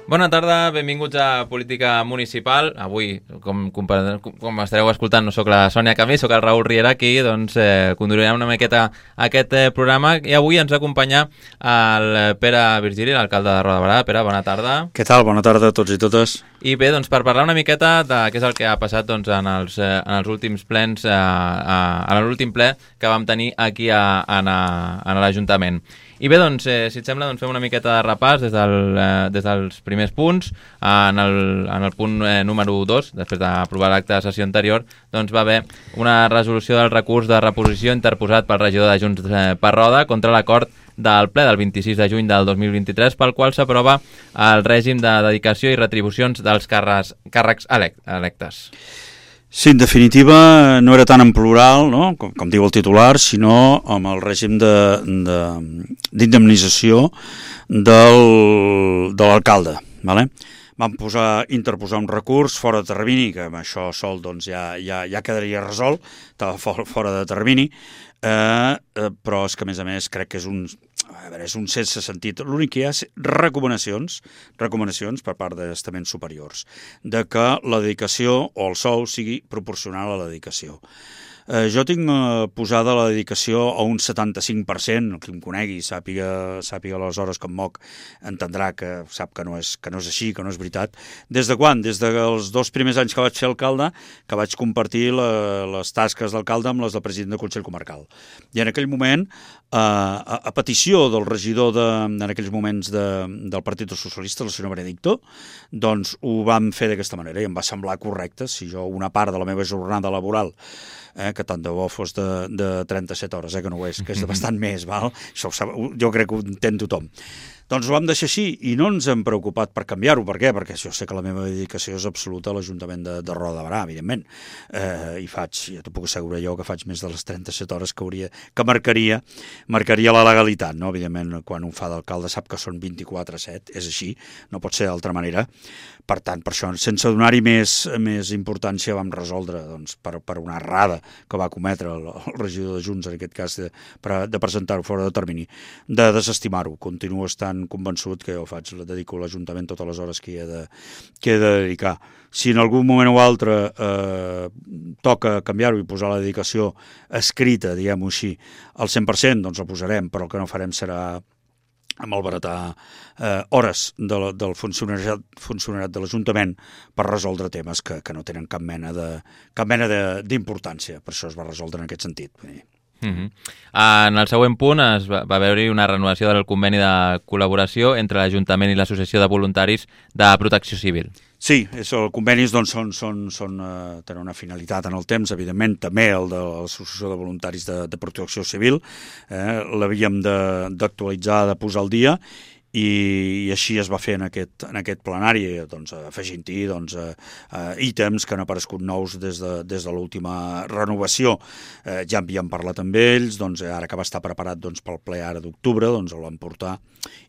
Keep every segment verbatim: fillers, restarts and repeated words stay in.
Bona tarda, benvinguts a Política Municipal. Avui, com, com, com estareu escoltant, no sóc la Sònia Camí, sóc el Raül Riera aquí, doncs eh, conduirem una miqueta aquest eh, programa i avui ens acompanya el Pere Virgili, l'alcalde de Roda de Berà. Pere, bona tarda. Què tal? Bona tarda a tots i totes. I bé, doncs per parlar una miqueta de què és el que ha passat doncs, en, els, eh, en els últims plens, eh, eh, en l'últim ple que vam tenir aquí a, a, a l'Ajuntament. I bé, doncs, eh, si et sembla, doncs fem una miqueta de repàs des, del, eh, des dels primers punts. En el, en el punt eh, número dos, després d'aprovar l'acte de sessió anterior, doncs va haver una resolució del recurs de reposició interposat pel regidor de Junts eh, per Roda contra l'acord del ple del vint-i-sis de juny del dos mil vint-i-tres, pel qual s'aprova el règim de dedicació i retribucions dels càrrecs, càrrecs elect, electes. Sí, en definitiva, no era tant en plural, no? com, com diu el titular, sinó amb el règim d'indemnització de, de, de l'alcalde. Vale? Vam posar, interposar un recurs fora de termini, que amb això sol doncs, ja, ja, ja quedaria resolt, estava fora, fora de termini, eh, eh, però és que a més a més crec que és un... A veure, és un sense sentit. L'únic que hi ha és recomanacions, recomanacions per part d'estaments superiors, de que la dedicació o el sou sigui proporcional a la dedicació. Eh, jo tinc eh, posada la dedicació a un setanta-cinc per cent, el que em conegui, sàpiga, sàpiga les hores que em moc, entendrà que sap que no, és, que no és així, que no és veritat. Des de quan? Des dels dos primers anys que vaig ser alcalde, que vaig compartir la, les tasques d'alcalde amb les del president del Consell Comarcal. I en aquell moment, eh, a, a petició del regidor de, en aquells moments de, del Partit Socialista, el senyor Benedicto, doncs ho vam fer d'aquesta manera i em va semblar correcte. Si jo una part de la meva jornada laboral, eh, que tant de bo fos de, de trenta-set hores, eh, que no ho és, que és de bastant més, val? Això ho sap, jo crec que ho entén tothom. Doncs ho vam deixar així i no ens hem preocupat per canviar-ho. Per què? Perquè jo sé que la meva dedicació és absoluta a l'Ajuntament de, de Roda de Berà, evidentment. Eh, I faig, ja t'ho puc assegurar jo, que faig més de les trenta-set hores que hauria, que marcaria, marcaria la legalitat, no? Evidentment, quan un fa d'alcalde sap que són vint-i-quatre set, és així, no pot ser d'altra manera. Per tant, per això, sense donar-hi més, més importància, vam resoldre, doncs, per, per una errada que va cometre el, el regidor de Junts, en aquest cas, de, de presentar-ho fora de termini, de desestimar-ho. Continuo estant convençut que jo faig, la dedico a l'Ajuntament totes les hores que he de, que he de dedicar. Si en algun moment o altre eh, toca canviar-ho i posar la dedicació escrita, diguem-ho així, al cent per cent, doncs la posarem, però el que no farem serà malbaratar eh, hores de la, del funcionariat, funcionariat de l'Ajuntament per resoldre temes que, que no tenen cap mena de, cap mena d'importància. Per això es va resoldre en aquest sentit. Uh-huh. En el següent punt es va, va haver-hi una renovació del conveni de col·laboració entre l'Ajuntament i l'Associació de Voluntaris de Protecció Civil. Sí, els convenis doncs, són, són, són, eh, tenen una finalitat en el temps, evidentment, també el de l'Associació de Voluntaris de, de Protecció Civil, eh, l'havíem d'actualitzar, de, de posar al dia, i, i així es va fer en aquest, en aquest plenari, doncs, afegint-hi doncs, eh, eh, ítems que han aparegut nous des de, des de l'última renovació. Eh, ja havíem parlat amb ells, doncs, ara que va estar preparat doncs, pel ple ara d'octubre, doncs, el vam portar,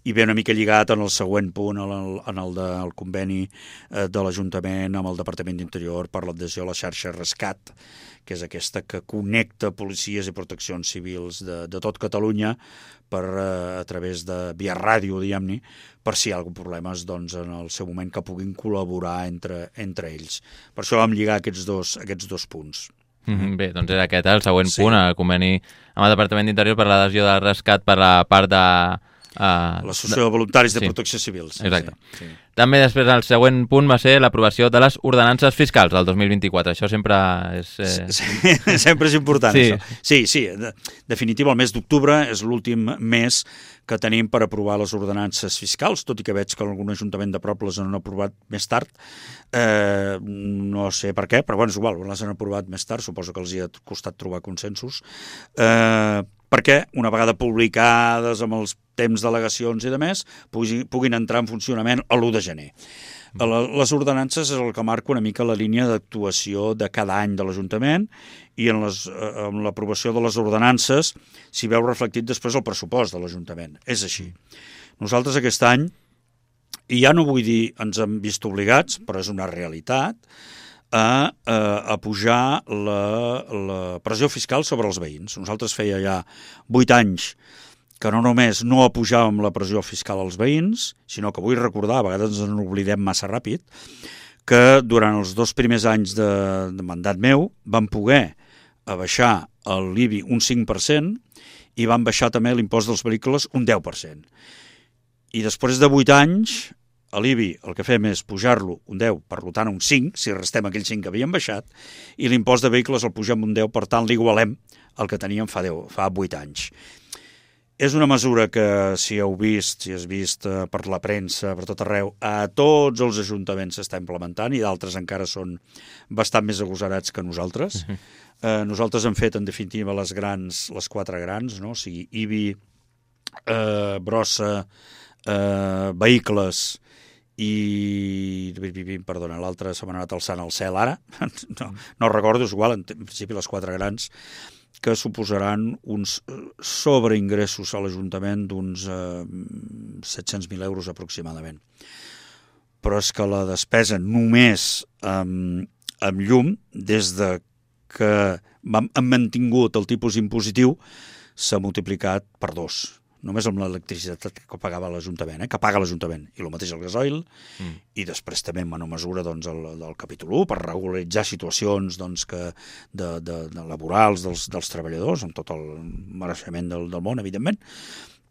i ve una mica lligat en el següent punt, en el, en el del conveni eh, de l'Ajuntament amb el Departament d'Interior per l'adhesió a la xarxa Rescat, que és aquesta que connecta policies i proteccions civils de, de tot Catalunya per, eh, a través de via ràdio, diguem-ne, per si hi ha algun problemes doncs, en el seu moment que puguin col·laborar entre, entre ells. Per això vam lligar aquests dos, aquests dos punts. Mm-hmm. Bé, doncs era aquest, eh, el següent sí. punt, el conveni amb el Departament d'Interior per l'adhesió del rescat per la part de... Uh, L'Associació de Voluntaris de sí. Protecció Civil. Sí, exacte. Sí, sí. També després el següent punt va ser l'aprovació de les ordenances fiscals del dos mil vint-i-quatre. Això sempre és... Eh... Sí, sí, sempre és important, sí. això. Sí, sí, de, definitiva, el mes d'octubre és l'últim mes que tenim per aprovar les ordenances fiscals, tot i que veig que algun ajuntament de prop les han aprovat més tard. Eh, no sé per què, però bueno, és igual, les han aprovat més tard, suposo que els hi ha costat trobar consensos. Eh, perquè una vegada publicades amb els temps d'al·legacions i de més, puguin, puguin entrar en funcionament a l'u de gener. Les ordenances és el que marca una mica la línia d'actuació de cada any de l'Ajuntament i en les, amb l'aprovació de les ordenances s'hi veu reflectit després el pressupost de l'Ajuntament. És així. Nosaltres aquest any, i ja no vull dir ens hem vist obligats, però és una realitat, a, a, a pujar la, la pressió fiscal sobre els veïns. Nosaltres feia ja vuit anys que no només no apujàvem la pressió fiscal als veïns, sinó que vull recordar, a vegades ens n'oblidem massa ràpid, que durant els dos primers anys de, de mandat meu vam poder abaixar l'I B I un cinc per cent i van baixar també l'impost dels vehicles un deu per cent. I després de vuit anys, a l'I B I el que fem és pujar-lo un deu, per tant un cinc, si restem aquell cinc que havíem baixat, i l'impost de vehicles el pugem un deu, per tant l'igualem al que teníem fa, deu, fa vuit anys. És una mesura que, si heu vist, si has vist eh, per la premsa, per tot arreu, a tots els ajuntaments s'està implementant i d'altres encara són bastant més agosarats que nosaltres. Uh-huh. eh, nosaltres hem fet, en definitiva, les grans, les quatre grans, no? O sigui, I B I, eh, brossa, eh, vehicles i... Perdona, l'altre se m'ha anat alçant al cel ara. no, no recordo, és igual, en principi les quatre grans, que suposaran uns sobreingressos a l'Ajuntament d'uns eh, set-cents mil euros aproximadament. Però és que la despesa només amb, amb llum, des de que hem mantingut el tipus impositiu, s'ha multiplicat per dos. Només amb l'electricitat que pagava l'Ajuntament, eh? que paga l'Ajuntament, i el mateix el gasoil, mm. i després també en menor mesura doncs, el, del capítol u, per regularitzar situacions doncs, que de, de, de laborals dels, dels treballadors, amb tot el mereixement del, del món, evidentment,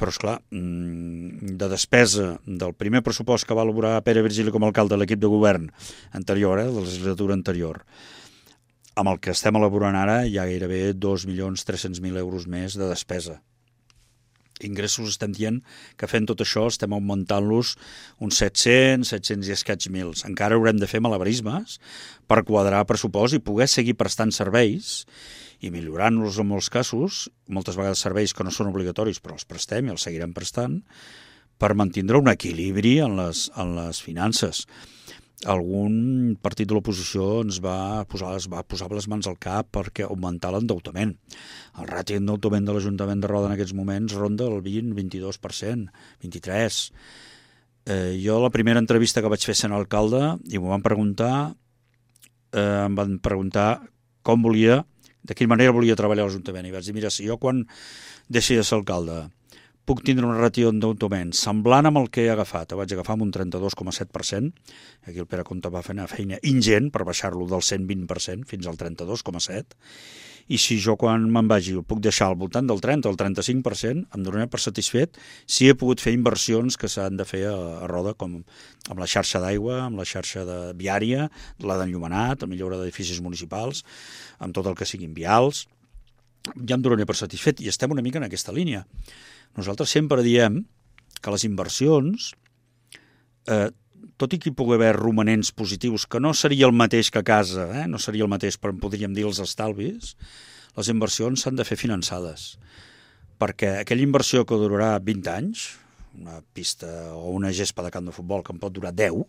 però, esclar, de despesa del primer pressupost que va elaborar Pere Virgili com a alcalde de l'equip de govern anterior, eh, de la legislatura anterior, amb el que estem elaborant ara hi ha gairebé dos milions tres-cents mil euros més de despesa. Ingressos estem dient que fent tot això estem augmentant-los uns set-cents, set-cents i escaig mils. Encara haurem de fer malabarismes per quadrar pressupost i poder seguir prestant serveis i millorant-los en molts casos, moltes vegades serveis que no són obligatoris però els prestem i els seguirem prestant, per mantindre un equilibri en les, en les finances. Algun partit de l'oposició ens va posar, es va posar les mans al cap perquè augmentar l'endeutament. El ràtio d'endeutament de l'Ajuntament de Roda en aquests moments ronda el vint, vint-i-dos per cent, vint-i-tres per cent. Eh, jo la primera entrevista que vaig fer sent alcalde i m'ho van preguntar, eh, em van preguntar com volia, de quina manera volia treballar a l'Ajuntament. I vaig dir, mira, si jo quan deixi de ser alcalde puc tindre una ràtio d'endeutament semblant amb el que he agafat. Ho vaig agafar amb un trenta-dos coma set per cent. Aquí el Pere Comte va fer una feina ingent per baixar-lo del cent vint per cent fins al trenta-dos coma set. I si jo quan me'n vagi el puc deixar al voltant del trenta o el trenta-cinc per cent, em donaré per satisfet si he pogut fer inversions que s'han de fer a, a Roda, com amb la xarxa d'aigua, amb la xarxa de viària, la d'enllumenat, la millora d'edificis municipals, amb tot el que siguin vials. Ja em donaré per satisfet i estem una mica en aquesta línia. Nosaltres sempre diem que les inversions, eh, tot i que hi pugui haver romanents positius, que no seria el mateix que a casa, eh? no seria el mateix, però podríem dir els estalvis, les inversions s'han de fer finançades. Perquè aquella inversió que durarà vint anys, una pista o una gespa de camp de futbol que en pot durar deu,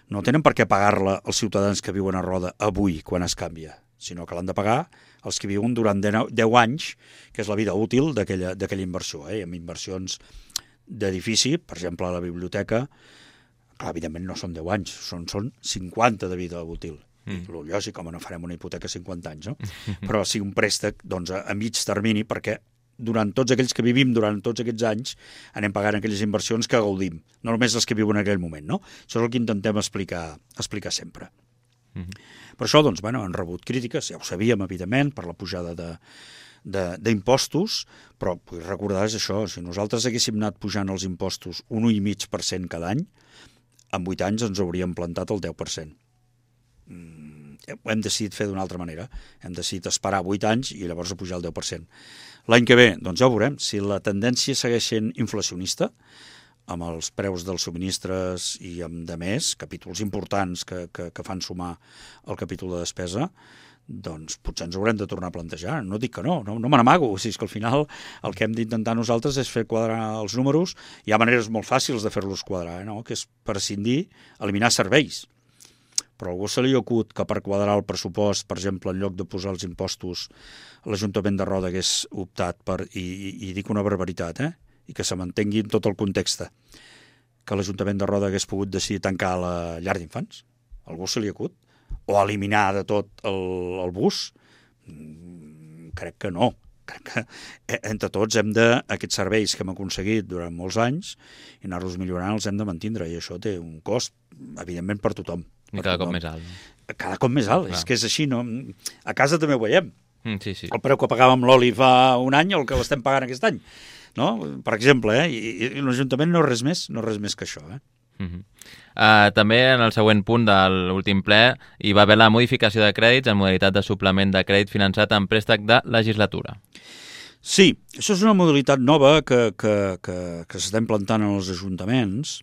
no tenen per què pagar-la els ciutadans que viuen a Roda avui, quan es canvia, sinó que l'han de pagar els que viuen durant deu anys, que és la vida útil d'aquella inversió. Eh? Amb inversions d'edifici, per exemple, a la biblioteca, clar, evidentment no són deu anys, són, són cinquanta de vida útil. Mm. I lògic, com no farem una hipoteca a cinquanta anys, no? Però sí un préstec doncs, a, a mig termini, perquè durant tots aquells que vivim durant tots aquests anys anem pagant aquelles inversions que gaudim, no només les que viuen en aquell moment. No? Això és el que intentem explicar, explicar sempre. Mm-hmm. Per això, doncs, bueno, han rebut crítiques, ja ho sabíem, evidentment, per la pujada d'impostos, però vull recordar és això, si nosaltres haguéssim anat pujant els impostos un un coma cinc per cent cada any, en vuit anys ens hauríem plantat el deu per cent. Mm, ho hem decidit fer d'una altra manera, hem decidit esperar vuit anys i llavors pujar el deu per cent. L'any que ve, doncs ja ho veurem, si la tendència segueix sent inflacionista, amb els preus dels subministres i amb de més, capítols importants que, que, que fan sumar el capítol de despesa, doncs potser ens haurem de tornar a plantejar. No dic que no, no, no me n'amago. O sigui, és que al final el que hem d'intentar nosaltres és fer quadrar els números. Hi ha maneres molt fàcils de fer-los quadrar, eh, no? Que és prescindir, eliminar serveis. Però a algú se li acut que per quadrar el pressupost, per exemple, en lloc de posar els impostos, l'Ajuntament de Roda hagués optat per, i, i, i dic una barbaritat, eh? I que se mantengui en tot el context, que l'Ajuntament de Roda hagués pogut decidir tancar la llar d'infants. Algú se li acut? O eliminar de tot el, el bus? Mm, crec que no. crec que entre tots hem de, aquests serveis que hem aconseguit durant molts anys, i anar-los millorant els hem de mantindre, i això té un cost, evidentment, per tothom. I per cada tothom. cop més alt. No? Cada cop més alt, Clar. és que és així, no? A casa també ho veiem. Mm, sí, sí. El preu que pagàvem l'oli fa un any o el que l'estem pagant aquest any, no? Per exemple, eh? I, i l'Ajuntament no és res més, no és res més que això, eh? Uh -huh. uh, també en el següent punt de l'últim ple hi va haver la modificació de crèdits en modalitat de suplement de crèdit finançat en préstec de legislatura. Sí, això és una modalitat nova que, que, que, que s'està implantant en els ajuntaments.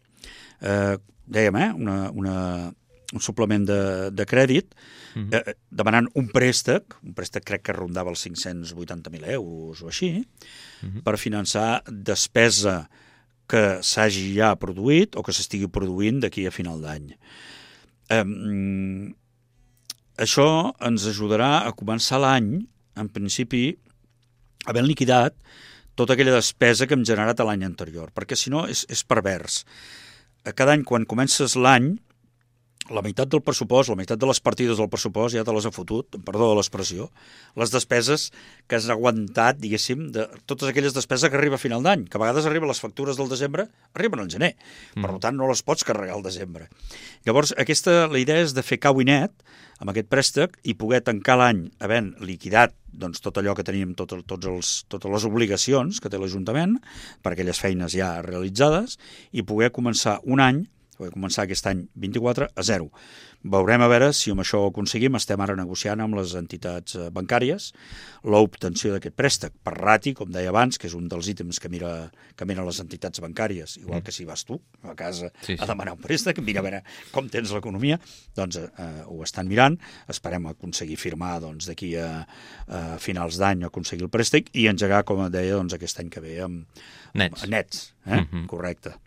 Eh, dèiem, eh? Una, una, un suplement de, de crèdit, uh -huh. eh, demanant un préstec, un préstec crec que rondava els cinc-cents vuitanta mil euros o així, uh -huh. per finançar despesa que s'hagi ja produït o que s'estigui produint d'aquí a final d'any. Eh, això ens ajudarà a començar l'any, en principi, havent liquidat tota aquella despesa que hem generat l'any anterior, perquè si no és, és pervers. Cada any, quan comences l'any, la meitat del pressupost, la meitat de les partides del pressupost ja te les ha fotut, perdó de l'expressió, les despeses que has aguantat, diguéssim, de totes aquelles despeses que arriba a final d'any, que a vegades arriben les factures del desembre, arriben al gener, mm. per tant no les pots carregar al desembre. Llavors, aquesta, la idea és de fer cau i net amb aquest préstec i poder tancar l'any havent liquidat doncs, tot allò que teníem, tot, tots els, totes les obligacions que té l'Ajuntament per aquelles feines ja realitzades i poder començar un any poder començar aquest any vint-i-quatre a zero. Veurem a veure si amb això ho aconseguim. Estem ara negociant amb les entitats bancàries l'obtenció d'aquest préstec per rati, com deia abans, que és un dels ítems que mira que miren les entitats bancàries, igual que si vas tu a casa sí, sí. a demanar un préstec, mira a veure com tens l'economia, doncs eh, ho estan mirant, esperem aconseguir firmar doncs, d'aquí a, a finals d'any aconseguir el préstec i engegar, com deia, doncs, aquest any que ve amb, nets. amb nets eh? Mm-hmm. Correcte.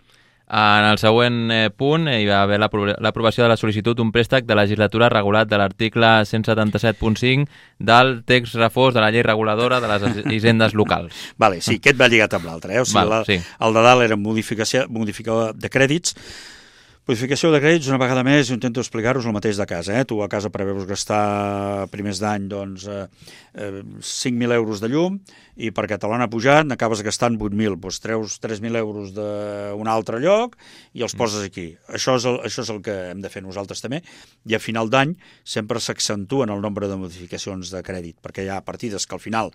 En el següent eh, punt hi va haver l'aprovació de la sol·licitud d'un préstec de legislatura regulat de l'article cent setanta-set punt cinc del text refós de la llei reguladora de les hisendes locals. Vale, sí, aquest va lligat amb l'altre. Eh? O sigui, Val, la, sí. El de dalt era modificació, modificació de crèdits. Modificació de crèdits, una vegada més, jo intento explicar-vos el mateix de casa. Eh? Tu a casa preveus gastar primers d'any doncs, eh, eh, cinc mil euros de llum i perquè te l'han pujat n'acabes gastant vuit mil. Doncs treus tres mil euros d'un altre lloc i els poses aquí. Mm. Això, és el, això és el que hem de fer nosaltres també. I a final d'any sempre s'accentuen el nombre de modificacions de crèdit perquè hi ha partides que al final,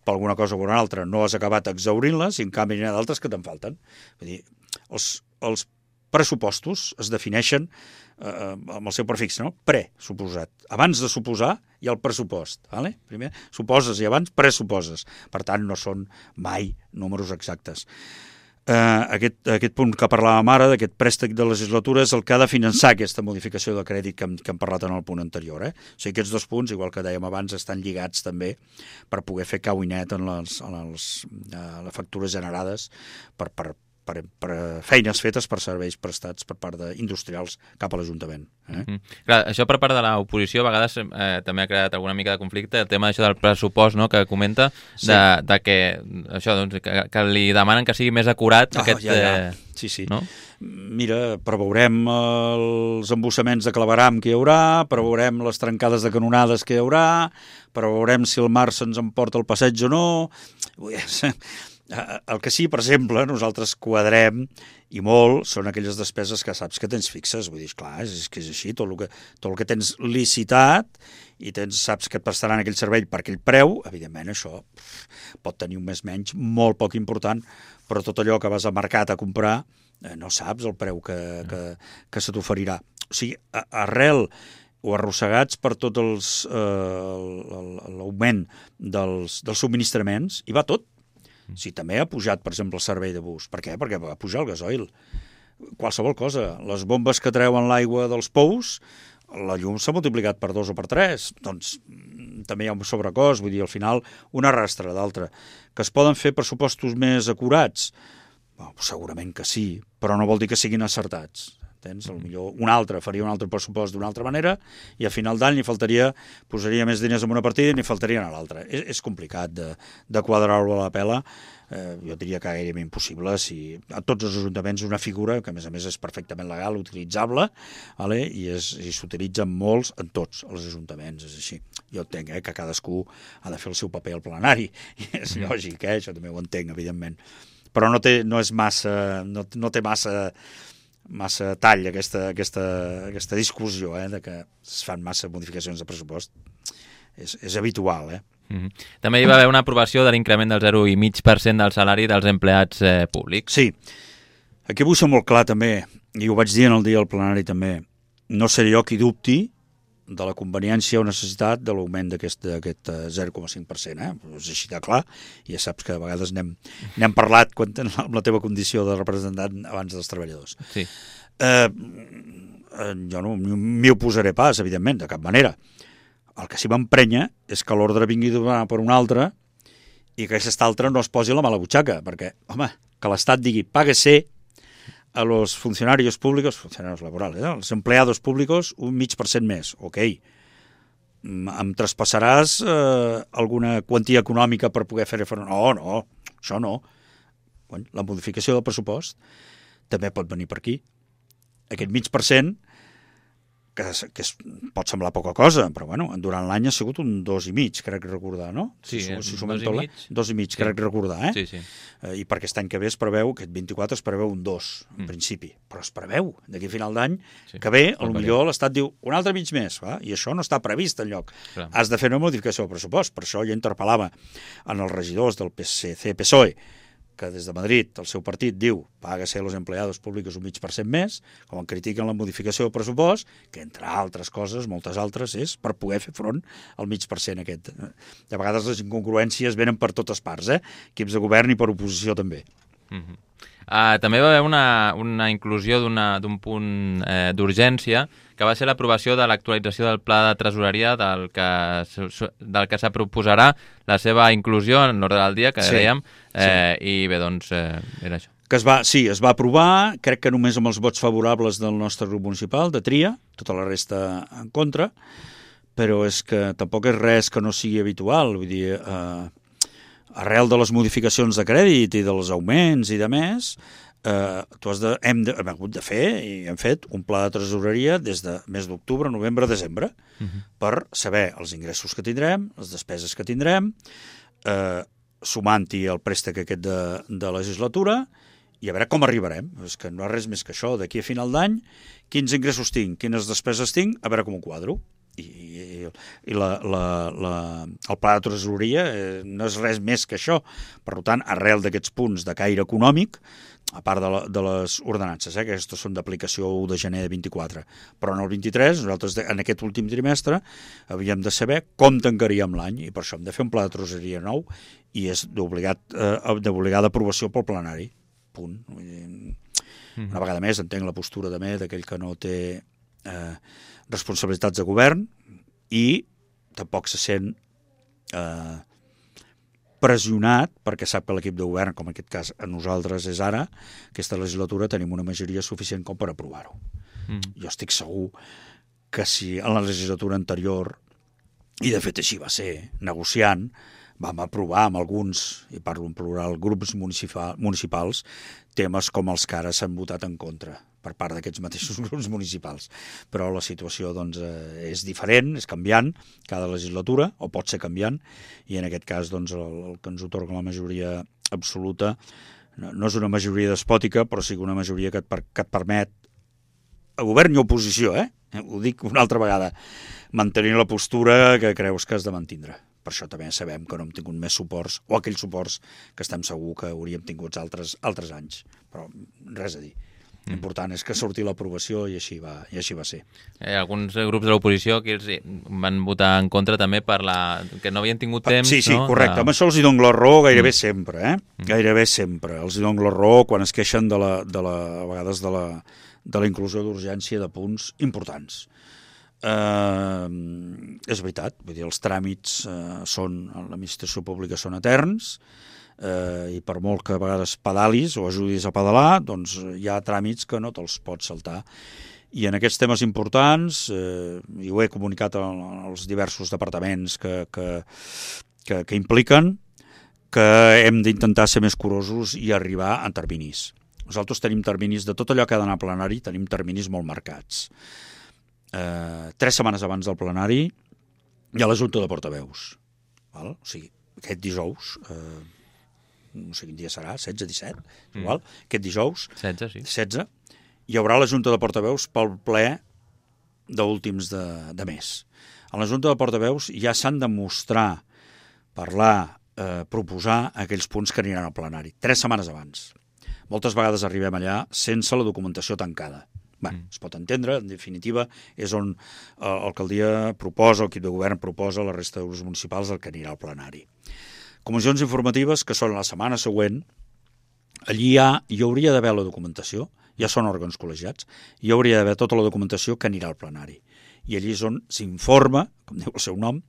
per alguna cosa o una altra, no has acabat exhaurint-les i en canvi hi ha d'altres que te'n falten. Vull dir, els, els pressupostos es defineixen eh, amb el seu prefix, no? Pre, suposat. Abans de suposar hi ha el pressupost. Vale? Primer suposes i abans pressuposes. Per tant, no són mai números exactes. Eh, aquest, aquest punt que parlàvem ara, d'aquest préstec de legislatura, és el que ha de finançar aquesta modificació de crèdit que hem, que hem parlat en el punt anterior. Eh? O sigui, aquests dos punts, igual que dèiem abans, estan lligats també per poder fer cau i net en les, en les, eh, les factures generades per, per Per, per feines fetes per serveis prestats per part d'industrials cap a l'Ajuntament. Eh? Mm. Clar, això per part de l'oposició a vegades eh, també ha creat alguna mica de conflicte, el tema d'això del pressupost, no?, que comenta, sí. de, de que, això, doncs, que, que li demanen que sigui més acurat. Oh, aquest, ja, ja. Eh, sí, sí. No? Mira, preveurem els embussaments de claveram que hi haurà, preveurem les trencades de canonades que hi haurà, preveurem si el mar se'ns emporta el passeig o no. El que sí, per exemple, nosaltres quadrem i molt són aquelles despeses que saps que tens fixes. Vull dir, clar, és que és així, tot el que, tot el que tens licitat i tens, saps que et prestaran aquell servei per aquell preu, evidentment això pot tenir un més menys molt poc important, però tot allò que vas al mercat a comprar eh, no saps el preu que, que, que se t'oferirà. O sigui, arrel o arrossegats per tot els, eh, l'augment dels, dels subministraments, hi va tot. Sí, també ha pujat, per exemple, el servei de bus. Per què? Perquè va pujar el gasoil. Qualsevol cosa. Les bombes que treuen l'aigua dels pous, la llum s'ha multiplicat per dos o per tres. Doncs també hi ha un sobrecost, vull dir, al final una arrastra d'altra. Que es poden fer pressupostos més acurats? Bueno, segurament que sí, però no vol dir que siguin acertats. Tens? Potser un altre faria un altre pressupost d'una altra manera i a final d'any li faltaria, posaria més diners en una partida i n'hi faltarien a l'altra. És, és complicat de, de quadrar-ho a la pela, eh, jo diria que gairebé impossible si a tots els ajuntaments una figura que a més a més és perfectament legal, utilitzable, vale? i, és, i s'utilitza molts en tots els ajuntaments, és així. Jo entenc eh, que cadascú ha de fer el seu paper al plenari, i és lògic, eh? Això també ho entenc, evidentment. Però no té, no és massa, no, no té massa massa tall aquesta, aquesta, aquesta discussió eh, de que es fan massa modificacions de pressupost. És, és habitual, eh? Mm-hmm. També hi va haver una aprovació de l'increment del zero coma cinc per cent del salari dels empleats eh, públics. Sí. Aquí vull ser molt clar també, i ho vaig dir en el dia del plenari també, no seré jo qui dubti de la conveniència o necessitat de l'augment d'aquest zero coma cinc per cent. Eh? És així de clar, i ja saps que a vegades n'hem, n'hem parlat quan, amb la teva condició de representant abans dels treballadors. Sí. Eh, jo no m'hi oposaré pas, evidentment, de cap manera. El que sí m'emprenya és que l'ordre vingui d'una per una altra i que aquesta altra no es posi a la mala butxaca, perquè, home, que l'Estat digui páguese a los funcionarios públicos, funcionarios laborales, ¿eh? Los empleados públicos, un mig per cent més. Ok, em traspassaràs eh, alguna quantia econòmica per poder fer front? No, no, això no. Bueno, la modificació del pressupost també pot venir per aquí. Aquest mig per cent, que, que es, pot semblar poca cosa, però bueno, durant l'any ha sigut un dos i mig, crec recordar, no? Sí, si, si dos i mig. Dos i mig, sí. Crec recordar, eh? Sí, sí. Eh, I per aquest any que ve es preveu, aquest vint-i-quatre es preveu un dos, en mm. principi, però es preveu, d'aquí a final d'any, sí. que ve, potser l'Estat diu un altre mig més, va? I això no està previst enlloc. Clar. Has de fer una modificació del pressupost, per això jo interpel·lava en els regidors del P S C P S O E, que des de Madrid el seu partit diu págase a los empleados públicos un mig per cent més, com en critiquen la modificació del pressupost, que entre altres coses, moltes altres, és per poder fer front al mig per cent aquest. De vegades les incongruències venen per totes parts, eh? Equips de govern i per oposició també. Mm-hmm. Uh, també va haver una, una inclusió d'un punt eh, d'urgència, que va ser l'aprovació de l'actualització del pla de tresoreria del que, del que se proposarà la seva inclusió en l'ordre del dia, que sí, dèiem, eh, sí. I bé, doncs, eh, era això. Que es va, sí, es va aprovar, crec que només amb els vots favorables del nostre grup municipal, de Tria, tota la resta en contra, però és que tampoc és res que no sigui habitual, vull dir... Eh, arrel de les modificacions de crèdit i dels augments i de més, eh, tu has de, hem, de, hem hagut de fer i hem fet un pla de tresoreria des de mes d'octubre, novembre, desembre, uh-huh. per saber els ingressos que tindrem, les despeses que tindrem, eh, sumant-hi el préstec aquest de, de legislatura, i a veure com arribarem. És que no és res més que això. D'aquí a final d'any, quins ingressos tinc, quines despeses tinc, a veure com ho quadro. I, i, i la, la, la, el pla de tresoreria eh, no és res més que això. Per tant, arrel d'aquests punts de caire econòmic, a part de, la, de les ordenances, eh, que aquestes són d'aplicació u de gener de vint-i-quatre, però en el vint-i-tres, nosaltres en aquest últim trimestre havíem de saber com tancaríem l'any, i per això hem de fer un pla de tresoreria nou, i és d'obligada aprovació pel plenari. Punt. Una vegada més entenc la postura també d'aquell que no té eh, responsabilitats de govern i tampoc se sent eh, pressionat perquè sap que l'equip de govern, com en aquest cas a nosaltres és ara, aquesta legislatura tenim una majoria suficient com per aprovar-ho. Mm. Jo estic segur que si en la legislatura anterior, i de fet així va ser, negociant, vam aprovar amb alguns, i parlo en plural, grups municipal, municipals, temes com els que ara s'han votat en contra per part d'aquests mateixos grups municipals. Però la situació doncs, eh, és diferent, és canviant cada legislatura, o pot ser canviant, i en aquest cas doncs, el, el que ens otorga la majoria absoluta no, no és una majoria despòtica, però sí una majoria que et, per, que et permet, a govern i oposició, eh? ho dic una altra vegada, mantenir la postura que creus que has de mantindre. Per això també sabem que no hem tingut més suports, o aquells suports que estem segur que hauríem tingut altres, altres anys. Però res a dir. L'important és que surti l'aprovació i així va, i així va ser. Eh, alguns grups de l'oposició que els van votar en contra també per la... que no havien tingut temps... Sí, sí, no? correcte. De... Amb això els hi dono la raó gairebé mm. sempre, eh? Mm. Gairebé sempre. Els hi dono la raó quan es queixen de la, de la, a vegades de la, de la inclusió d'urgència de punts importants. Uh, és veritat, vull dir, els tràmits uh, són, a l'administració pública són eterns, eh, i per molt que a vegades pedalis o ajudis a pedalar, doncs hi ha tràmits que no te'ls pots saltar. I en aquests temes importants, eh, i ho he comunicat als diversos departaments que, que, que, que impliquen, que hem d'intentar ser més curosos i arribar a terminis. Nosaltres tenim terminis de tot allò que ha d'anar a plenari, tenim terminis molt marcats. Eh, tres setmanes abans del plenari hi ha la Junta de Portaveus. Val? O sigui, aquest dijous, eh, no sé quin dia serà, setze, disset, mm. igual, aquest dijous, setze, sí. setze, hi haurà la Junta de Portaveus pel ple d'últims de, de mes. A la Junta de Portaveus ja s'han de mostrar, parlar, eh, proposar aquells punts que aniran al plenari, tres setmanes abans. Moltes vegades arribem allà sense la documentació tancada. Bé, mm. es pot entendre, en definitiva, és on eh, l'alcaldia proposa, l'equip de govern proposa a la resta de grups municipals el que anirà al plenari. Comissions informatives, que són la setmana següent, allí hi, ha, hi hauria d'haver la documentació, ja són òrgans col·legiats, hi hauria d'haver tota la documentació que anirà al plenari. I allí és on s'informa, com diu el seu nom,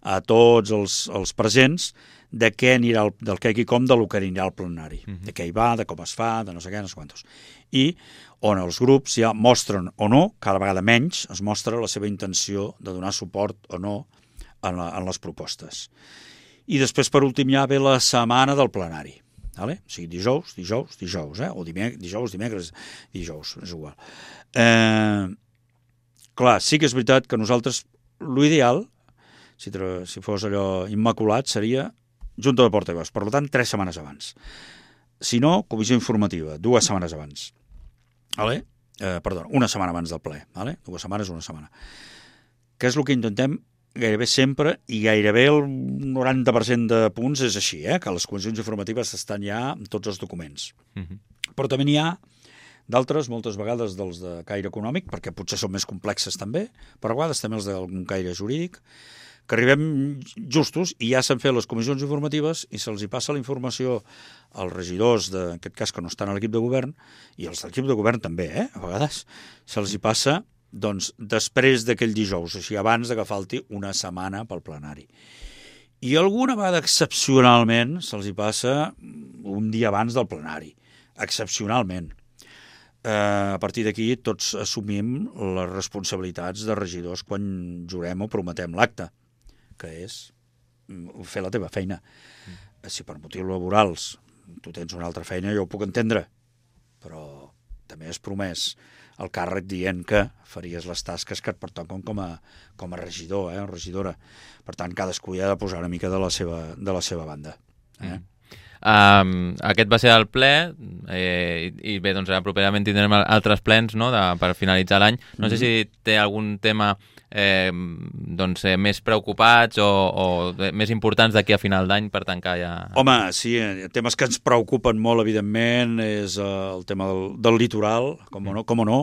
a tots els, els presents de què anirà, el, del què i com, de lo que anirà al plenari, uh-huh. de què hi va, de com es fa, de no sé què, no sé quantos. I on els grups ja mostren o no, cada vegada menys, es mostra la seva intenció de donar suport o no en, la, en les propostes. I després, per últim, ja ve la setmana del plenari. Vale? O sigui, dijous, dijous, dijous, eh? o dimec dijous, dimecres, dijous, és igual. Eh, clar, sí que és veritat que nosaltres, l'ideal, si, si fos allò immaculat, seria Junta de Portaveus, per tant, tres setmanes abans. Si no, comissió informativa, dues setmanes abans. Vale? Eh, perdó, una setmana abans del ple. Vale? Dues setmanes, una setmana. Què és el que intentem gairebé sempre, i gairebé el noranta per cent de punts és així, eh? que les comissions informatives estan ja en tots els documents. Uh-huh. Però també n'hi ha d'altres, moltes vegades dels de caire econòmic, perquè potser són més complexes també, però a vegades també els d'algun caire jurídic, que arribem justos i ja s'han fet les comissions informatives i se'ls hi passa la informació als regidors, de, en aquest cas que no estan a l'equip de govern, i els de l'equip de govern també, eh? a vegades se'ls hi passa doncs, després d'aquell dijous, així abans de que falti una setmana pel plenari. I alguna vegada excepcionalment se'ls hi passa un dia abans del plenari, excepcionalment. Eh, a partir d'aquí tots assumim les responsabilitats de regidors quan jurem o prometem l'acte, que és fer la teva feina. Mm. Si per motius laborals tu tens una altra feina, jo ho puc entendre, però també has promès el càrrec dient que faries les tasques que et pertoquen com a, com a regidor, eh, o regidora. Per tant, cadascú hi ha de posar una mica de la seva, de la seva banda. Eh? Mm. Um, aquest va ser el ple eh, i, i bé, doncs properament tindrem altres plens, no?, de, per finalitzar l'any. No mm-hmm. sé si té algun tema eh, doncs, eh, més preocupats o, o més importants d'aquí a final d'any per tancar ja... Home, sí, temes que ens preocupen molt, evidentment, és el tema del, del litoral, com o no, com o no.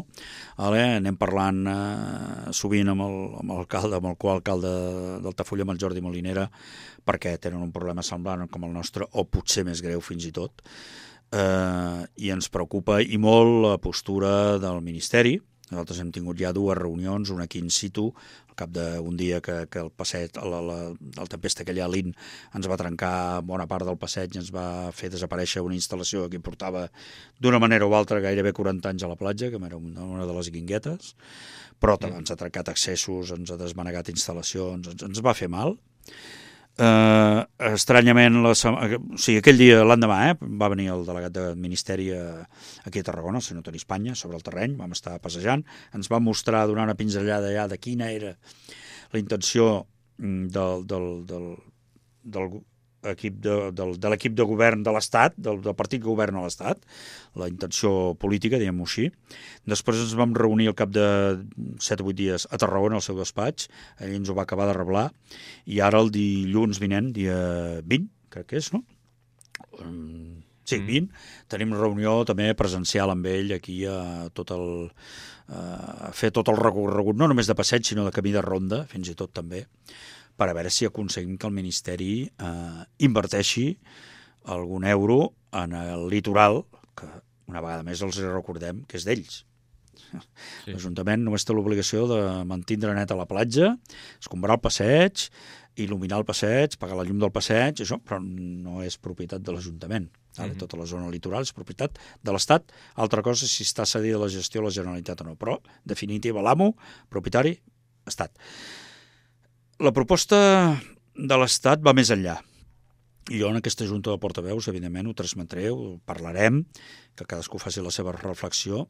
Vale? Anem parlant eh, sovint amb el, amb l'alcalde, amb el qual alcalde d'Altafulla, amb el Jordi Molinera, perquè tenen un problema semblant com el nostre, o potser més greu fins i tot, eh, i ens preocupa i molt la postura del Ministeri. Nosaltres hem tingut ja dues reunions, una aquí in situ, al cap d'un dia que, que el passeig, la, la, la tempesta que allà a l'In ens va trencar bona part del passeig i ens va fer desaparèixer una instal·lació que portava d'una manera o altra gairebé quaranta anys a la platja, que era una, una de les guinguetes, però també ens ha trencat accessos, ens ha desmanegat instal·lacions, ens, ens va fer mal. Uh, estranyament, la, o sigui, aquell dia, l'endemà, eh, va venir el delegat del Ministeri a, aquí a Tarragona, el senyor Toni Espanya, sobre el terreny, vam estar passejant, ens va mostrar, donar una pinzellada allà de quina era la intenció del, del, del, del equip de, del, de l'equip de govern de l'Estat, del, del partit que governa l'Estat, la intenció política, diguem-ho així. Després ens vam reunir al cap de set o vuit dies a Tarragona, al seu despatx, ell ens ho va acabar de reblar, i ara el dilluns vinent, dia vint, crec que és, no? Sí, vint, tenim reunió també presencial amb ell aquí a tot el... a fer tot el recorregut, no només de passeig, sinó de camí de ronda, fins i tot també, per a veure si aconseguim que el Ministeri eh, inverteixi algun euro en el litoral, que una vegada més els recordem que és d'ells. Sí. L'Ajuntament només té l'obligació de mantindre net a la platja, escombrar el passeig, il·luminar el passeig, pagar la llum del passeig, això, però no és propietat de l'Ajuntament. Mm-hmm. Tota la zona litoral és propietat de l'Estat. Altra cosa si està cedida la gestió a la Generalitat o no, però, definitiva, l'amo, propietari, Estat. La proposta de l'Estat va més enllà. I jo en aquesta junta de portaveus, evidentment, ho transmetré, ho parlarem, que cadascú faci la seva reflexió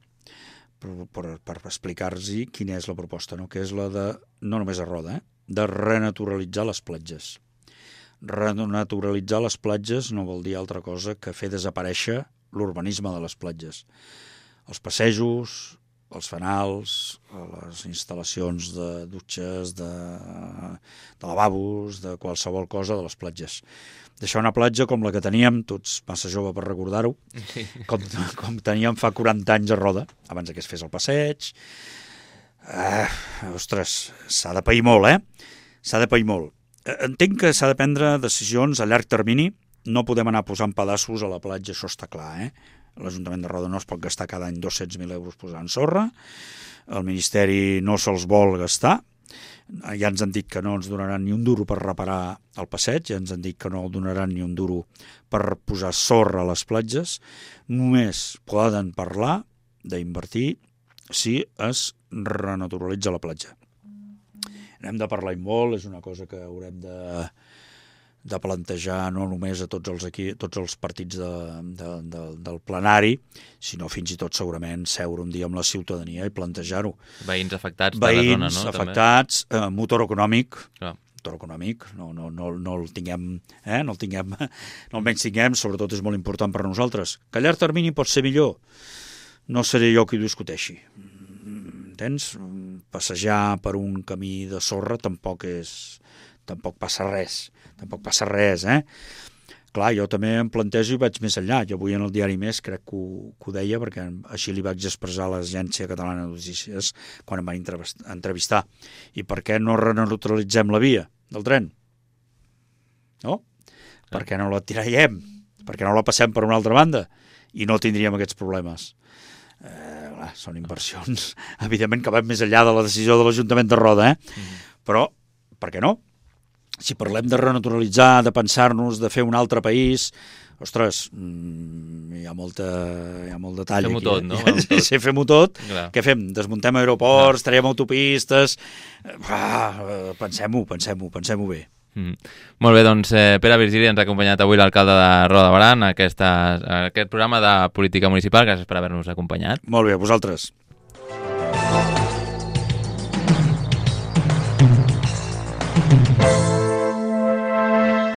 per, per, per explicar-los quina és la proposta, no? Que és la de, no només a Roda, eh? de renaturalitzar les platges. Renaturalitzar les platges no vol dir altra cosa que fer desaparèixer l'urbanisme de les platges. Els passejos, els fanals, les instal·lacions de dutxes, de, de lavabos, de qualsevol cosa de les platges. Deixar una platja com la que teníem, tots massa jove per recordar-ho, sí. com, com teníem fa quaranta anys a Roda, abans que es fes el passeig. Eh, ostres, s'ha de pair molt, eh? S'ha de pair molt. Entenc que s'ha de prendre decisions a llarg termini, no podem anar posant pedaços a la platja, això està clar, eh? L'Ajuntament de Roda no es pot gastar cada any dos-cents mil euros posant sorra, el Ministeri no se'ls vol gastar, ja ens han dit que no ens donaran ni un duro per reparar el passeig, ja ens han dit que no donaran ni un duro per posar sorra a les platges, només poden parlar d'invertir si es renaturalitza la platja. N'hem de parlar molt, és una cosa que haurem de... de plantejar no només a tots els, aquí, tots els partits de, de, de, del plenari, sinó fins i tot segurament seure un dia amb la ciutadania i plantejar-ho. Veïns afectats Veïns de la zona, no? Veïns afectats, eh, motor econòmic, Clar. motor econòmic, no, no, no, no el tinguem, eh, no el tinguem, no el menys tinguem, sobretot és molt important per a nosaltres. Que a llarg termini pot ser millor, no seré jo qui ho discuteixi. Entens? Passejar per un camí de sorra tampoc és... tampoc passa res, tampoc passa res, eh? Clar, jo també em plantejo i vaig més enllà. Jo avui en el diari Més crec que ho, que ho deia, perquè així li vaig expressar a l'Agència Catalana de Notícies quan em van entrevistar. I per què no renaturalitzem la via del tren? No? Per què no la tiraiem? Per què no la passem per una altra banda? I no tindríem aquests problemes. Eh, clar, són inversions, evidentment, que van més enllà de la decisió de l'Ajuntament de Roda, eh? Mm. Però, per què no? Si parlem de renaturalitzar, de pensar-nos, de fer un altre país, ostres, hi ha, molta, hi ha molt detall fem-ho aquí. Tot, no? Sí, sí, fem-ho tot. Clar. Què fem? Desmuntem aeroports, traiem autopistes... Ah, pensem-ho, pensem-ho, pensem-ho bé. Mm. Molt bé, doncs eh, Pere Virgili ens ha acompanyat avui l'alcalde de Roda de Berà en aquesta, aquest programa de política municipal. Gràcies per haver-nos acompanyat. Molt bé, a vosaltres. Thank you.